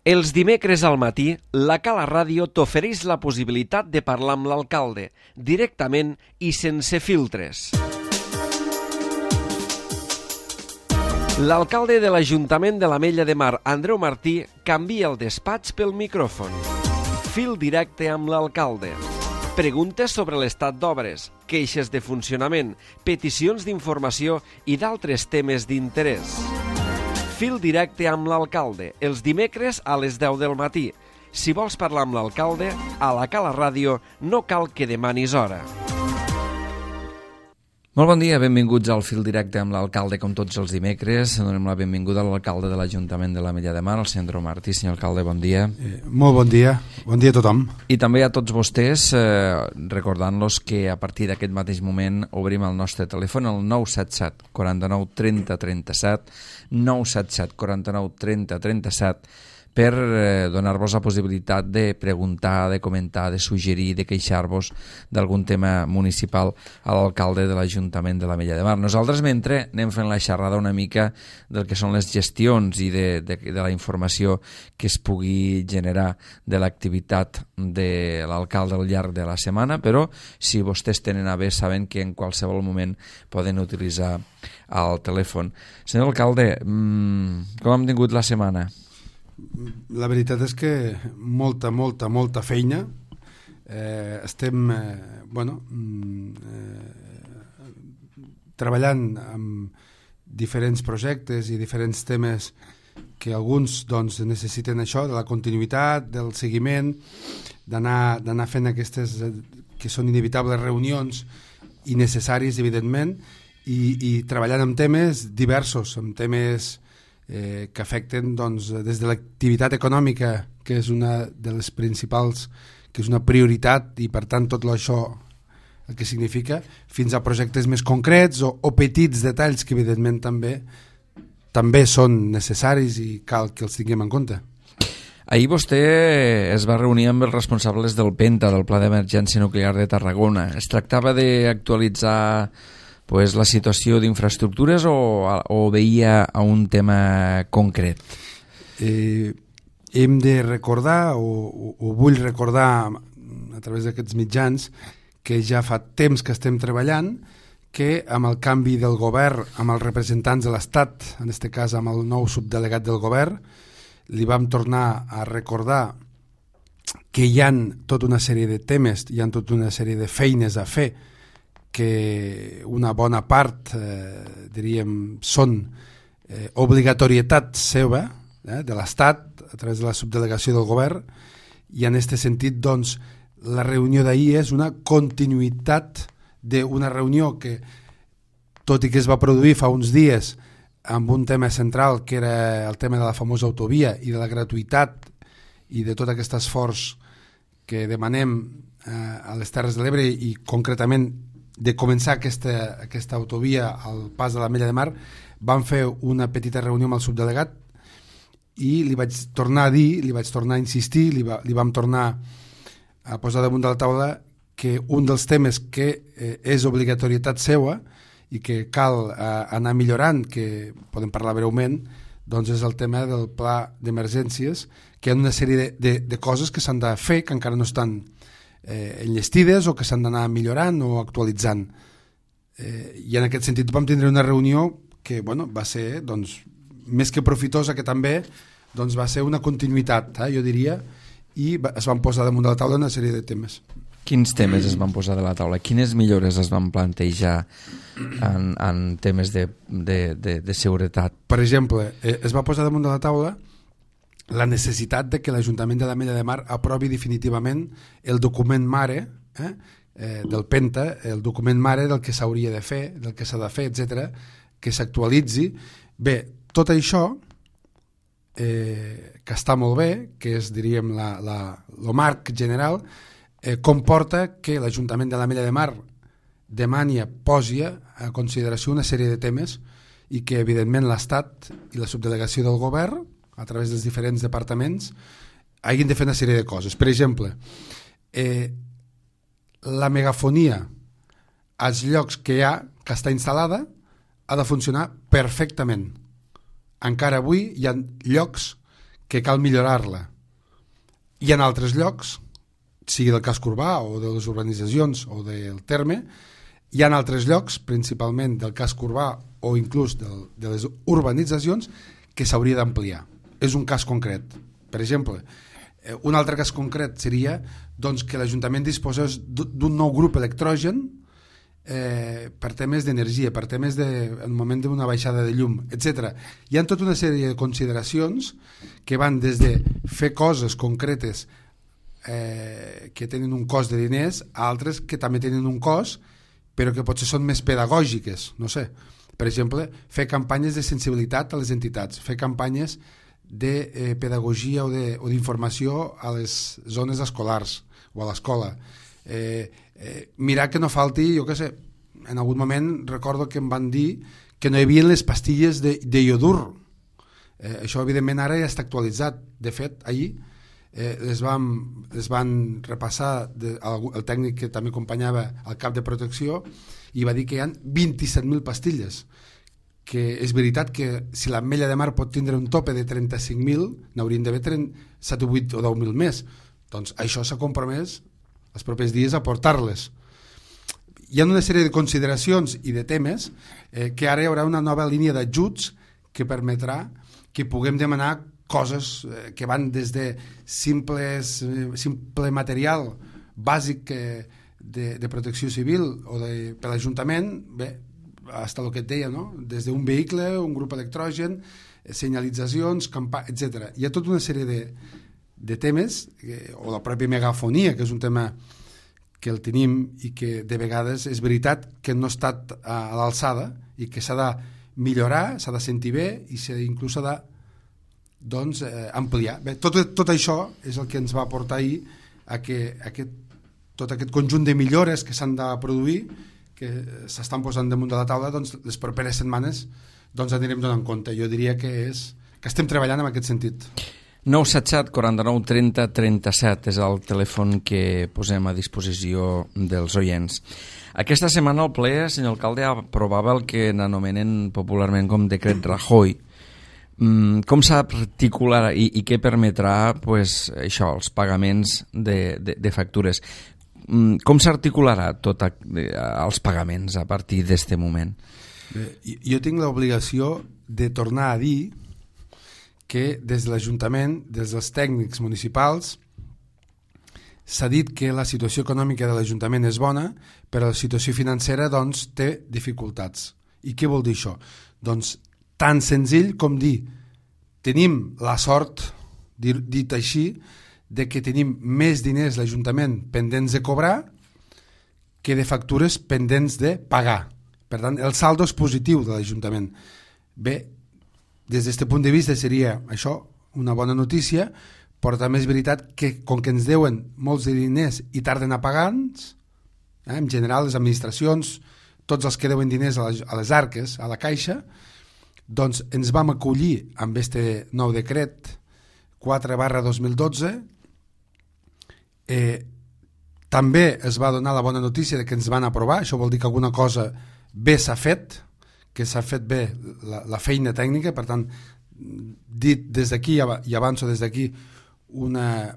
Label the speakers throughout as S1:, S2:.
S1: Els dimecres al matí, la Cala Ràdio t'ofereix la possibilitat de parlar amb l'alcalde, directament i sense filtres. L'alcalde de l'Ajuntament de l'Ametlla de Mar, Andreu Martí, canvia el despatx pel micròfon. Fil directe amb l'alcalde. Preguntes sobre l'estat d'obres, queixes de funcionament, peticions d'informació i d'altres temes d'interès. Fil directe amb l'alcalde, els dimecres a les 10 del matí. Si vols parlar amb l'alcalde, a la Cala Ràdio no cal que demanis hora.
S2: Molt bon dia, benvinguts al Fil Directe amb l'alcalde, com tots els dimecres. Donem la benvinguda a l'alcalde de l'Ajuntament de l'Ametlla de Mar, el senyor Andreu Martí. Senyor alcalde, bon dia.
S3: Molt bon dia a tothom.
S2: I també a tots vostès, recordant-los que a partir d'aquest mateix moment obrim el nostre telèfon, el 977 49 30 37, 977 49 30 37, per donar-vos la possibilitat de preguntar, de comentar, de suggerir, de queixar-vos d'algun tema municipal a l'alcalde de l'Ajuntament de l'Ametlla de Mar. Nosaltres, mentre anem fent la xerrada una mica del que són les gestions i de la informació que es pugui generar de l'activitat de l'alcalde al llarg de la setmana, però si vostès tenen a bé, saben que en qualsevol moment poden utilitzar el telèfon. Senyor alcalde, com hem tingut la setmana?
S3: La veritat és que molta feina. Estem treballant amb diferents projectes i diferents temes que alguns necessiten això, de la continuïtat, del seguiment, d'anar fent aquestes que són inevitables reunions i necessaris, evidentment, i treballant amb temes diversos, amb temes que afecten des de l'activitat econòmica, que és una de les principals, que és una prioritat, i per tant tot això el que significa, fins a projectes més concrets o petits detalls que evidentment també són necessaris i cal que els tinguem en compte.
S2: Ahir vostè es va reunir amb els responsables del PENTA, del Pla d'Emergència Nuclear de Tarragona. Es tractava d'actualitzar la situació d'infraestructures o veia a un tema concret?
S3: Hem de recordar, o vull recordar a través d'aquests mitjans, que ja fa temps que estem treballant, que amb el canvi del govern, amb els representants de l'Estat, en aquest cas amb el nou subdelegat del govern, li vam tornar a recordar que hi ha tota una sèrie de temes, hi ha tota una sèrie de feines a fer, que una bona part, diríem, són obligatorietat seva, de l'Estat, a través de la subdelegació del govern, i en aquest sentit, la reunió d'ahir és una continuïtat d'una reunió que, tot i que es va produir fa uns dies amb un tema central, que era el tema de la famosa autovia i de la gratuïtat i de tot aquest esforç que demanem a les Terres de l'Ebre i concretament de començar aquesta autovia al pas de l'Ametlla de Mar, vam fer una petita reunió amb el subdelegat i li vaig tornar a dir, li vaig tornar a insistir, li vam tornar a posar damunt de la taula que un dels temes que és obligatorietat seua i que cal anar millorant, que podem parlar breument, és el tema del pla d'emergències, que hi ha una sèrie de coses que s'han de fer, que encara no estan enllestides o que s'han d'anar millorant o actualitzant. I en aquest sentit vam tindre una reunió que va ser més que profitosa, que també va ser una continuïtat, jo diria, i es van posar damunt de la taula una sèrie de temes.
S2: Quins temes es van posar de la taula? Quines millores es van plantejar en temes de seguretat?
S3: Per exemple, es va posar damunt de la taula la necessitat de que l'Ajuntament de l'Ametlla de Mar aprovi definitivament el document mare del PENTA, el document mare del que s'hauria de fer, del que s'ha de fer, etc., que s'actualitzi. Bé, tot això, que està molt bé, que és, diríem, el marc general, comporta que l'Ajuntament de l'Ametlla de Mar demani, posi a consideració una sèrie de temes i que, evidentment, l'Estat i la subdelegació del govern, a través dels diferents departaments, hagin de fer una sèrie de coses. Per exemple, la megafonia als llocs que està instal·lada ha de funcionar perfectament. Encara avui hi ha llocs que cal millorar-la. I en altres llocs, sigui del casc urbà o de les urbanitzacions o del terme, hi ha altres llocs, principalment del casc urbà o inclús de les urbanitzacions, que s'hauria d'ampliar. És un cas concret. Per exemple, un altre cas concret seria doncs, que l'Ajuntament disposés d'un nou grup electrogen per temes d'energia, per temes en moment d'una baixada de llum, etc. Hi ha tota una sèrie de consideracions que van des de fer coses concretes que tenen un cost de diners a altres que també tenen un cost però que potser són més pedagògiques, no sé. Per exemple, fer campanyes de sensibilitat a les entitats, fer campanyes de pedagogia o d'informació a les zones escolars o a l'escola. Mirar que no falti, jo què sé, en algun moment recordo que em van dir que no hi havia les pastilles de iodur. Això evidentment ara ja està actualitzat. De fet, ahir les van repassar el tècnic que també acompanyava el cap de protecció i va dir que hi ha 27.000 pastilles, que és veritat que si l'Ametlla de Mar pot tindre un tope de 35.000 n'haurien d'haver 7, 8 o 10.000 més. Doncs això s'ha compromès els propers dies a portar-les. Hi ha una sèrie de consideracions i de temes que ara hi haurà una nova línia d'ajuts que permetrà que puguem demanar coses que van des de simple material bàsic de protecció civil o per l'Ajuntament, bé, fins el que et deia, no? Des d'un vehicle, un grup electrogen, senyalitzacions, etc. Hi ha tota una sèrie de temes, o la pròpia megafonia, que és un tema que el tenim i que de vegades és veritat que no ha estat a l'alçada i que s'ha de millorar, s'ha de sentir bé i inclús s'ha de ampliar. Bé, tot això és el que ens va portar ahir a que tot aquest conjunt de millores que s'han de produir, que s'estan posant damunt de la taula, doncs les properes setmanes anirem donant compte. Jo diria que estem treballant en aquest sentit.
S2: 977 49 30 37 és el telèfon que posem a disposició dels oients. Aquesta setmana el ple, senyor alcalde, aprovava el que n'anomenen popularment com decret Rajoy. Com s'articularà i què permetrà això, els pagaments de factures? Com s'articularà tot els pagaments a partir d'aquest moment?
S3: Jo tinc l'obligació de tornar a dir que des de l'Ajuntament, des dels tècnics municipals, s'ha dit que la situació econòmica de l'Ajuntament és bona, però la situació financera té dificultats. I què vol dir això? Doncs tan senzill com dir tenim la sort, dit així, de que tenim més diners l'Ajuntament pendents de cobrar que de factures pendents de pagar. Per tant, el saldo és positiu de l'Ajuntament. Bé, des d'aquest punt de vista seria això una bona notícia, però també és veritat que com que ens deuen molts de diners i tarden a pagar-nos, en general les administracions, tots els que deuen diners a les arques, a la caixa, doncs ens vam acollir amb aquest nou decret 4/2012. També es va donar la bona notícia de que ens van aprovar, això vol dir que alguna cosa bé s'ha fet, que s'ha fet bé la feina tècnica. Per tant, dit des d'aquí i avanço des d'aquí una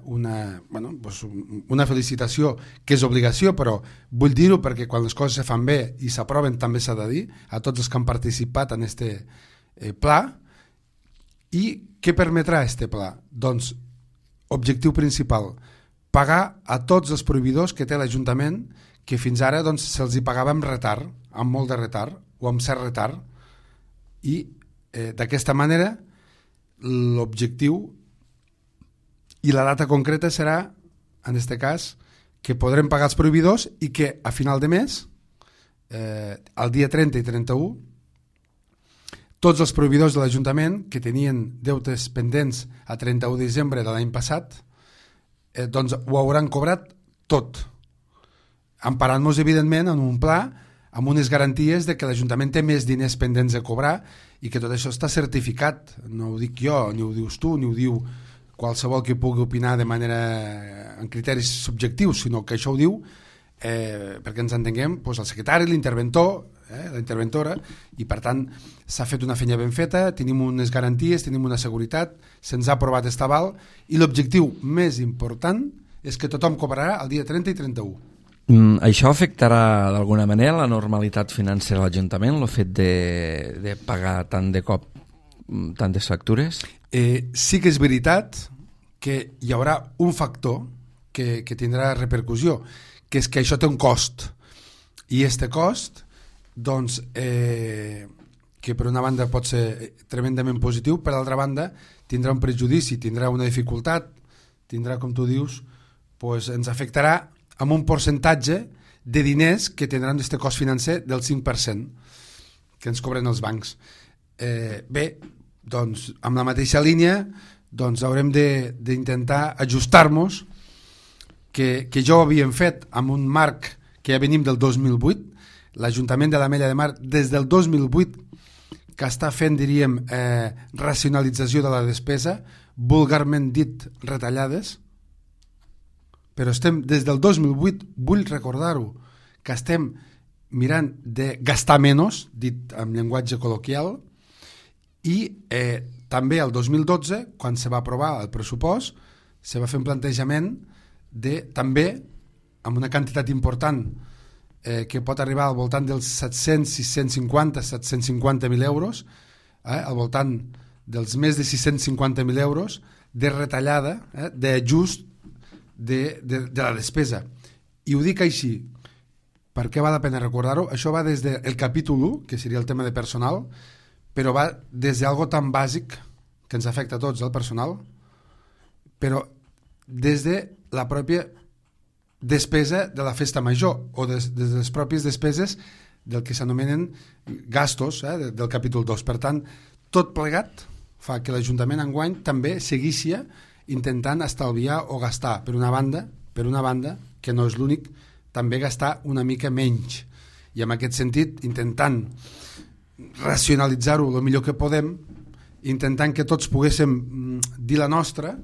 S3: felicitació que és obligació, però vull dir-ho perquè quan les coses se fan bé i s'aproven també s'ha de dir a tots els que han participat en aquest pla. I què permetrà aquest pla? Doncs, objectiu principal, pagar a tots els proveïdors que té l'Ajuntament, que fins ara se'ls hi pagava amb retard, amb molt de retard o amb cert retard, i d'aquesta manera l'objectiu i la data concreta serà, en aquest cas, que podrem pagar els proveïdors i que a final de mes, el dia 30 i 31, tots els proveïdors de l'Ajuntament que tenien deutes pendents a 31 de desembre de l'any passat, doncs ho hauran cobrat tot, emparant-nos evidentment en un pla amb unes garanties de que l'Ajuntament té més diners pendents de cobrar i que tot això està certificat. No ho dic jo, ni ho dius tu, ni ho diu qualsevol que pugui opinar de manera en criteris subjectius, sinó que això ho diu perquè ens entenguem, doncs el secretari, l'interventor, la interventora, i per tant s'ha fet una feina ben feta, tenim unes garanties, tenim una seguretat, se'ns ha aprovat aquest aval, i l'objectiu més important és que tothom cobrarà el dia 30 i 31.
S2: Això afectarà d'alguna manera la normalitat financera de l'Ajuntament, el fet de pagar tant de cop tantes factures?
S3: Sí que és veritat que hi haurà un factor que tindrà repercussió, que és que això té un cost, i este cost, doncs, que per una banda pot ser tremendament positiu, per l'altra banda tindrà un prejudici, tindrà una dificultat, tindrà, com tu dius, doncs ens afectarà amb un percentatge de diners que tindran aquest cost financer del 5% que ens cobren els bancs. Bé, doncs, amb la mateixa línia, doncs haurem d'intentar ajustar-nos, que ja ho havíem fet amb un marc que ja venim del 2008, l'Ajuntament de l'Ametlla de Mar des del 2008 que està fent, diríem, racionalització de la despesa, vulgarment dit retallades, però estem des del 2008, vull recordar-ho, que estem mirant de gastar menys, dit en llenguatge col·loquial, i també el 2012, quan se va aprovar el pressupost, se va fer un plantejament de també, amb una quantitat important, que pot arribar al voltant dels 700, 650, 750.000 euros, al voltant dels més de 650.000 euros de retallada, d'ajust de la despesa. I ho dic així perquè val la pena recordar-ho. Això va des del capítol 1, que seria el tema de personal, però va des d'algo tan bàsic que ens afecta a tots, el personal, però des de la pròpia despesa de la festa major o des de les pròpies despeses del que s'anomenen gastos, del capítol 2. Per tant, tot plegat fa que l'Ajuntament enguany també segueixi intentant estalviar o gastar, per una banda, que no és l'únic, també gastar una mica menys, i en aquest sentit intentant racionalitzar-ho el millor que podem, intentant que tots poguéssim dir la nostra,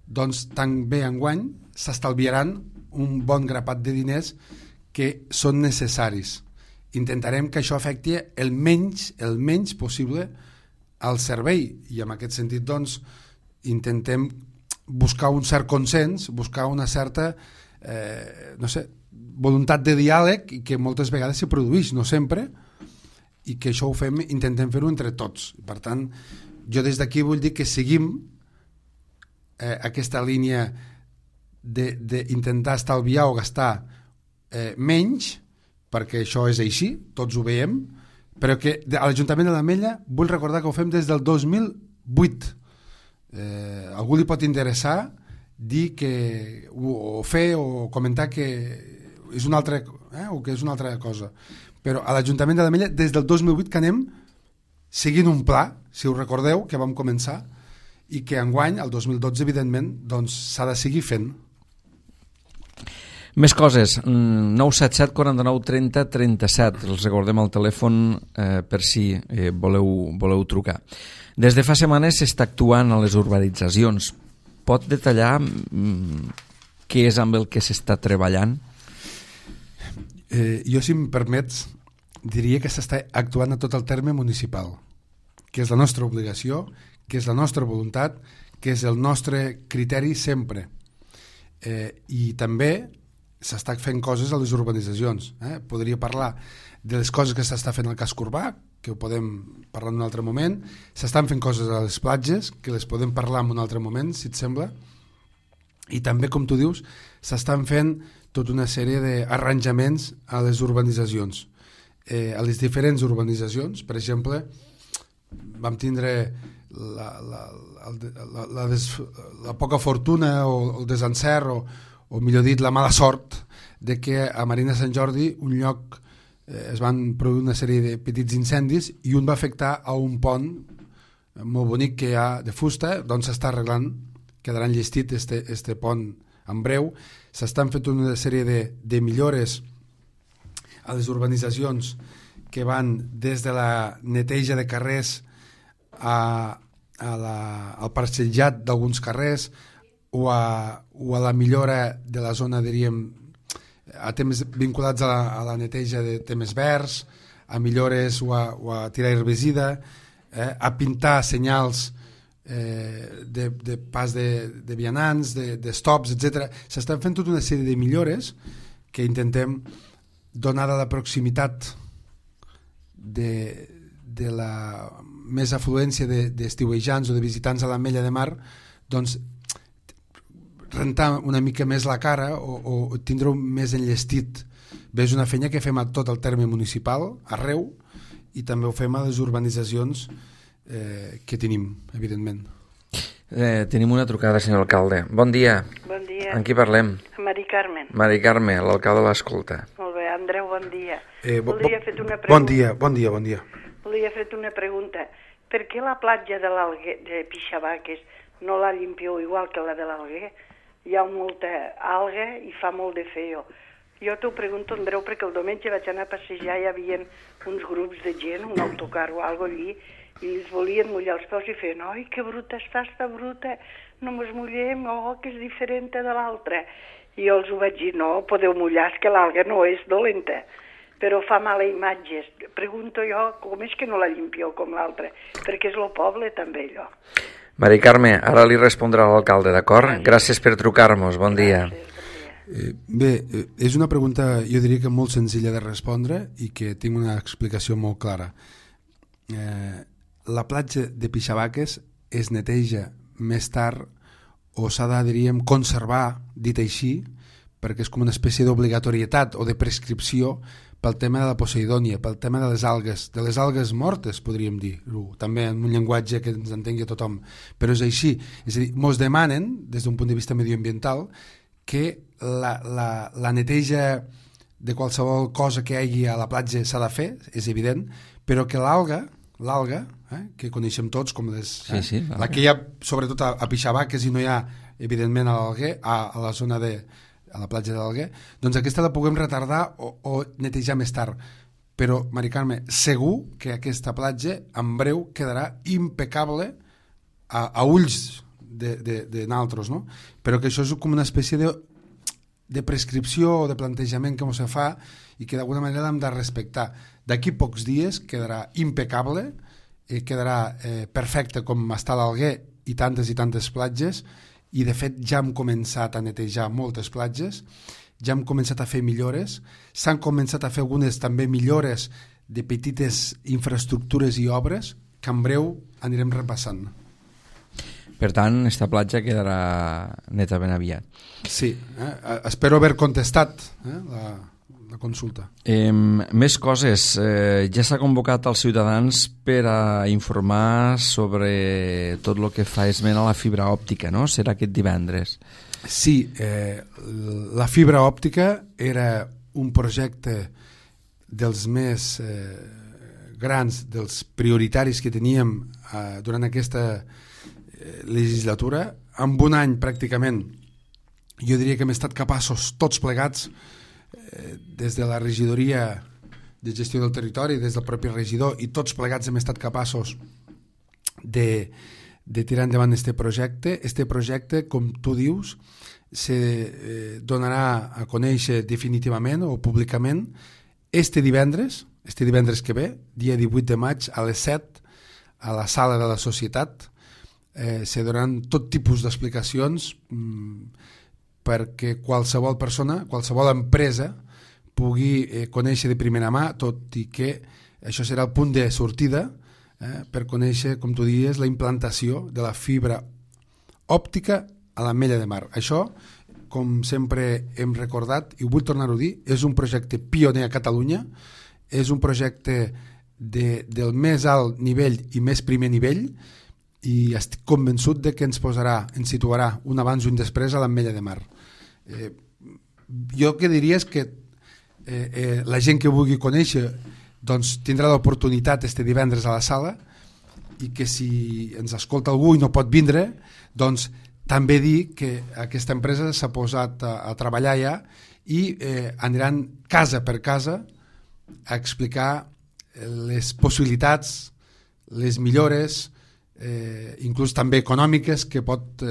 S3: doncs també enguany s'estalviaran un bon grapat de diners que són necessaris. Intentarem que això afecti el menys possible al servei, i en aquest sentit doncs intentem buscar un cert consens, buscar una certa voluntat de diàleg, i que moltes vegades se produeix, no sempre, i que això ho fem, intentem fer-ho entre tots. Per tant, jo des d'aquí vull dir que seguim aquesta línia d'intentar estalviar o gastar menys, perquè això és així, tots ho veiem, però que a l'Ajuntament de l'Ametlla vull recordar que ho fem des del 2008. Algú li pot interessar dir que o fer o comentar que és una altra, o que és una altra cosa, però a l'Ajuntament de l'Ametlla des del 2008 que anem seguint un pla, si us recordeu, que vam començar, i que enguany, el 2012, evidentment, doncs s'ha de seguir fent.
S2: Més coses, 977 49 30 37, els recordem el telèfon per si voleu trucar. Des de fa setmanes s'està actuant a les urbanitzacions. Pot detallar què és amb el que s'està treballant?
S3: Jo, si em permets, diria que s'està actuant a tot el terme municipal, que és la nostra obligació, que és la nostra voluntat, que és el nostre criteri sempre. I també s'està fent coses a les urbanitzacions. Podria parlar de les coses que s'està fent al casc urbà, que ho podem parlar en un altre moment. S'estan fent coses a les platges, que les podem parlar en un altre moment, si et sembla. I també, com tu dius, s'estan fent tota una sèrie d'arranjaments a les urbanitzacions. A les diferents urbanitzacions, per exemple, vam tindre la poca fortuna o el desencert o millor dit la mala sort de que a Marina Sant Jordi un lloc es van produir una sèrie de petits incendis i un va afectar a un pont molt bonic que hi ha de fusta, doncs s'està arreglant, quedarà enllestit este pont en breu. S'estan fent una sèrie de millores a les urbanitzacions que van des de la neteja de carrers al parcellat d'alguns carrers o a la millora de la zona, diríem, a temes vinculats a la neteja de temes verds, a millores o a tirar herbicida, a pintar senyals de pas de vianants, de stops, etc. S'estan fent tota una sèrie de millores que intentem, donada la proximitat de la més afluència d'estiuejants o de visitants a l'Ametlla de Mar, doncs rentar una mica més la cara o tindre-ho més enllestit. Bé, és una feina que fem a tot el terme municipal, arreu, i també ho fem a les urbanitzacions que tenim, evidentment.
S2: Tenim una trucada, senyor alcalde. Bon dia.
S4: Bon dia.
S2: Amb qui parlem?
S4: Mari Carmen.
S2: Mari Carme, l'alcalde l'escolta.
S4: Molt bé, Andreu, bon dia. Volia fer una pregunta.
S3: Bon dia.
S4: Volia fer una pregunta. Per què la platja de Pixabaques no la llimpieu igual que la de l'Alguer? Hi ha molta alga i fa molt de feo. Jo t'ho pregunto, Andreu, perquè el diumenge vaig anar a passejar i hi havia uns grups de gent, un autocar o alguna cosa allí, i els volien mullar els peus i feien, oi, que bruta està bruta, no mos mullem, que és diferent de l'altra. I jo els ho vaig dir, no, podeu mullar, és que l'alga no és dolenta, però fa mala imatge. Pregunto jo, com és que no la llimpieu com l'altra? Perquè és el poble també, allò.
S2: Mari Carme, ara li respondrà l'alcalde, d'acord? Gràcies per trucar-nos, bon dia.
S3: Bé, és una pregunta, jo diria que molt senzilla de respondre i que tinc una explicació molt clara. La platja de Pixabaques es neteja més tard o s'ha de, diríem, conservar, dit així, perquè és com una espècie d'obligatorietat o de prescripció pel tema de la poseidònia, pel tema de les algues mortes, podríem dir, també en un llenguatge que ens entengui tothom, però és així. És a dir, mos demanen, des d'un punt de vista medioambiental, que la neteja de qualsevol cosa que hi hagi a la platja s'ha de fer, és evident, però que l'alga, que coneixem tots com la que hi ha sobretot a Pixabaques i no hi ha evidentment a l'Alguer, a la zona a la platja de l'Alguer, doncs aquesta la puguem retardar o netejar més tard. Però, Mari Carme, segur que aquesta platja en breu quedarà impecable a ulls de naltros, no? Però que això és com una espècie de prescripció o de plantejament que ens fa i que d'alguna manera l'hem de respectar. D'aquí pocs dies quedarà impecable, quedarà perfecte com està l'Alguer i tantes platges, i de fet ja hem començat a netejar moltes platges, ja hem començat a fer millores, s'han començat a fer algunes també millores de petites infraestructures i obres que en breu anirem repassant.
S2: Per tant, esta platja quedarà neta ben aviat.
S3: Sí, espero haver contestat la consulta.
S2: Més coses. Ja s'ha convocat als ciutadans per a informar sobre tot el que fa esment a la fibra òptica, no? Serà aquest divendres.
S3: Sí, la fibra òptica era un projecte dels més grans, dels prioritaris que teníem durant aquesta legislatura. En un any pràcticament jo diria que hem estat capaços tots plegats, des de la regidoria de gestió del territori, des del propi regidor, i tots plegats hem estat capaços de tirar endavant este projecte. Este projecte, com tu dius, se donarà a conèixer definitivament o públicament este divendres que ve, dia 18 de maig, a les 7, a la sala de la Societat. Se donaran tot tipus d'explicacions perquè qualsevol persona, qualsevol empresa pugui conèixer de primera mà, tot i que això serà el punt de sortida per conèixer, com tu dius, la implantació de la fibra òptica a l'Ametlla de Mar. Això, com sempre hem recordat, i vull tornar-ho a dir, és un projecte pioner a Catalunya, és un projecte del més alt nivell i més primer nivell, i estic convençut de que ens situarà un abans i un després a l'Ametlla de Mar. Jo que diria és que la gent que vulgui conèixer doncs tindrà l'oportunitat este divendres a la sala, i que si ens escolta algú i no pot vindre, doncs també dir que aquesta empresa s'ha posat a treballar ja i aniran casa per casa a explicar les possibilitats, les millores, inclús també econòmiques, que pot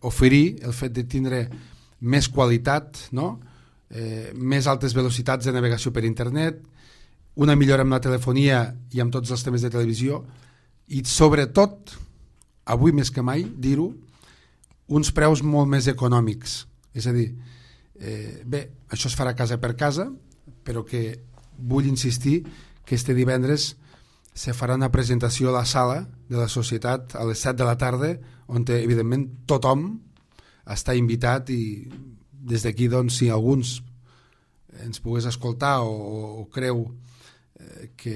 S3: oferir el fet de tindre més qualitat, no? més altes velocitats de navegació per internet, una millora amb la telefonia i amb tots els temes de televisió i sobretot, avui més que mai, dir-ho, uns preus molt més econòmics. És a dir, bé, això es farà casa per casa, però que vull insistir que este divendres se farà una presentació a la sala de la Societat a les 7 de la tarda, on evidentment tothom està invitat i des d'aquí, doncs, si alguns ens pogués escoltar o creu que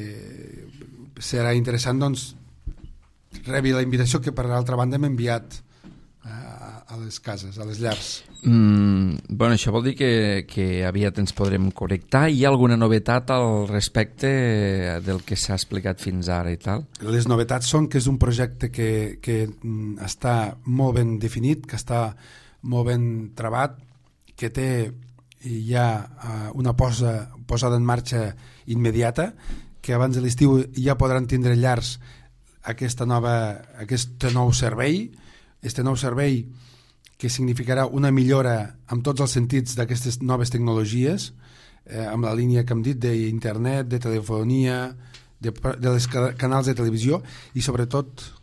S3: serà interessant, doncs rebi la invitació que per l'altra banda hem enviat a les cases, a les llars.
S2: Bueno, això vol dir que aviat ens podrem connectar. Hi ha alguna novetat al respecte del que s'ha explicat fins ara i tal?
S3: Les novetats són que és un projecte que està molt ben definit, que està molt ben trebat, que té ja una posada en marxa immediata, que abans de l'estiu ja podran tindre llars aquest nou servei, que significarà una millora en tots els sentits d'aquestes noves tecnologies, amb la línia que hem dit d'internet, de telefonia, de les canals de televisió i sobretot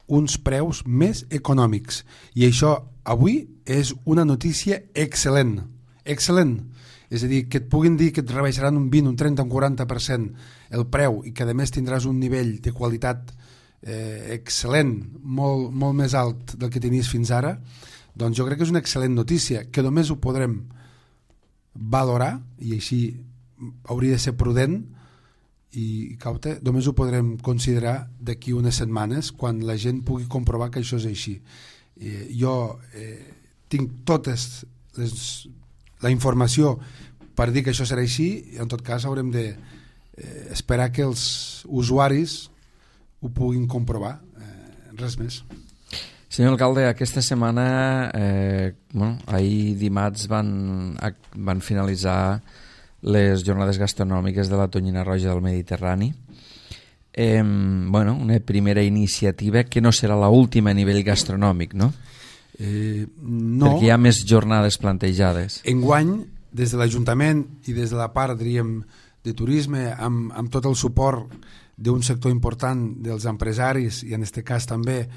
S3: uns preus més econòmics. I això avui és una notícia excel·lent. Excel·lent. És a dir, que et puguin dir que et rebaixaran un 20, un 30, un 40% el preu i que a més tindràs un nivell de qualitat excel·lent, molt més alt del que tenies fins ara, doncs jo crec que és una excel·lent notícia, que només ho podrem valorar, i així hauria de ser prudent i caute, només ho podrem considerar d'aquí unes setmanes, quan la gent pugui comprovar que això és així. Jo tinc totes la informació per dir que això serà així, i en tot cas haurem d'esperar que els usuaris ho puguin comprovar, res més.
S2: Senyor alcalde, aquesta setmana, ahir dimarts van finalitzar les jornades gastronòmiques de la Tonyina Roja del Mediterrani. Una primera iniciativa que no serà l'última a nivell gastronòmic, no?
S3: No.
S2: Perquè hi ha més jornades plantejades.
S3: Enguany, des de l'Ajuntament i des de la part, diríem, de turisme, amb tot el suport d'un sector important dels empresaris i en aquest cas també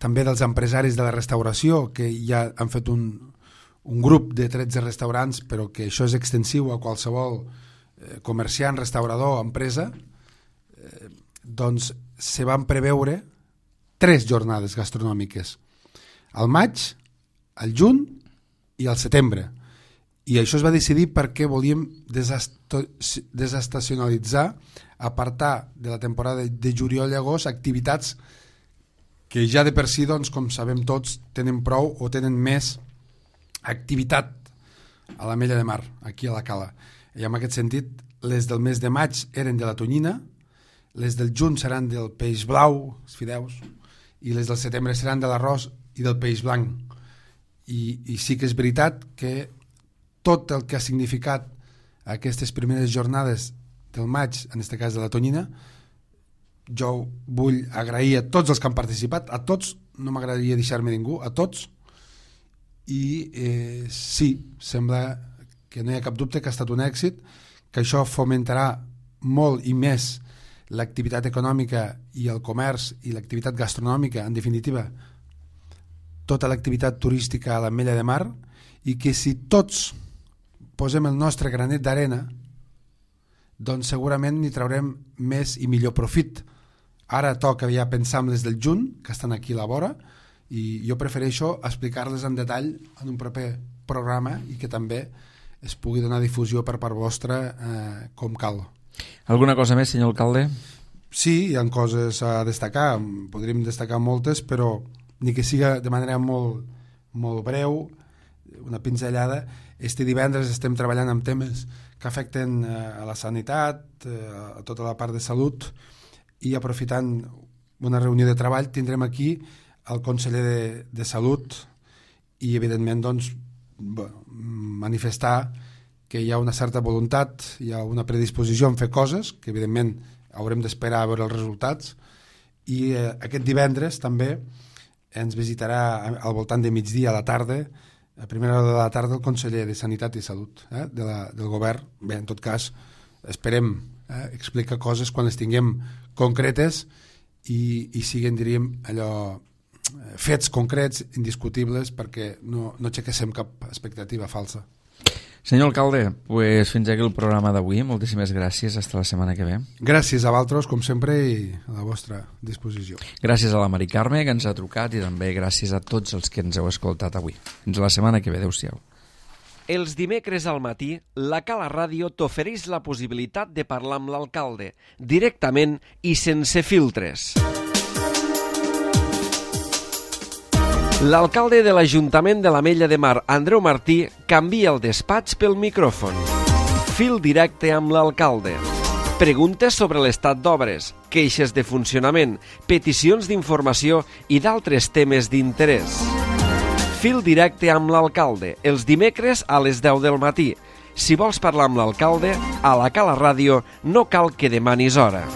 S3: dels empresaris de la restauració, que ja han fet un grup de 13 restaurants, però que això és extensiu a qualsevol comerciant, restaurador, empresa, doncs se van preveure 3 jornades gastronòmiques, al maig, al juny i al setembre. I això es va decidir perquè volíem desestacionalitzar, apartar de la temporada de juliol i agost activitats que ja de per si, doncs, com sabem tots, tenen prou o tenen més activitat a l'Ametlla de Mar, aquí a la Cala. I en aquest sentit, les del mes de maig eren de la tonyina, les del juny seran del peix blau, els fideus, i les del setembre seran de l'arròs i del peix blanc. I sí que és veritat que tot el que ha significat aquestes primeres jornades del maig, en aquest cas de la tonyina, jo vull agrair a tots els que han participat, a tots, no m'agradaria deixar-me ningú, a tots, i sí, sembla que no hi ha cap dubte que ha estat un èxit, que això fomentarà molt i més l'activitat econòmica i el comerç i l'activitat gastronòmica, en definitiva, tota l'activitat turística a l'Ametlla de Mar, i que si tots posem el nostre granet d'arena, doncs segurament n'hi traurem més i millor profit. Ara toca ja pensar en les del juny, que estan aquí a la vora, i jo prefereixo explicar-les en detall en un proper programa i que també es pugui donar difusió per part vostra com cal.
S2: Alguna cosa més, senyor alcalde?
S3: Sí, hi ha coses a destacar, podríem destacar moltes, però ni que siga de manera molt breu, una pinzellada. Este divendres estem treballant amb temes que afecten a la sanitat, a tota la part de salut, i aprofitant una reunió de treball tindrem aquí el conseller de Salut i evidentment doncs, manifestar que hi ha una certa voluntat, hi ha una predisposició en fer coses, que evidentment haurem d'esperar a veure els resultats, i aquest divendres també ens visitarà al voltant de migdia a la tarda a primera hora de la tarda el conseller de Sanitat i Salut del govern. Bé, en tot cas, esperem explicar coses quan les tinguem concretes i siguen, diríem, allò fets concrets, indiscutibles, perquè no aixequéssim cap expectativa falsa.
S2: Senyor alcalde, pues fins aquí el programa d'avui. Moltíssimes gràcies. Hasta la setmana que ve.
S3: Gràcies a vosaltres, com sempre, i a la vostra disposició.
S2: Gràcies a la Mari Carme, que ens ha trucat, i també gràcies a tots els que ens heu escoltat avui. Fins la setmana que ve. Adéu-siau.
S1: Els dimecres al matí, la Cala Ràdio t'ofereix la possibilitat de parlar amb l'alcalde, directament i sense filtres. L'alcalde de l'Ajuntament de l'Ametlla de Mar, Andreu Martí, canvia el despatx pel micròfon. Fil directe amb l'alcalde. Preguntes sobre l'estat d'obres, queixes de funcionament, peticions d'informació i d'altres temes d'interès. Fil directe amb l'alcalde, els dimecres a les 10 del matí. Si vols parlar amb l'alcalde, a la Cala Ràdio no cal que demanis hora.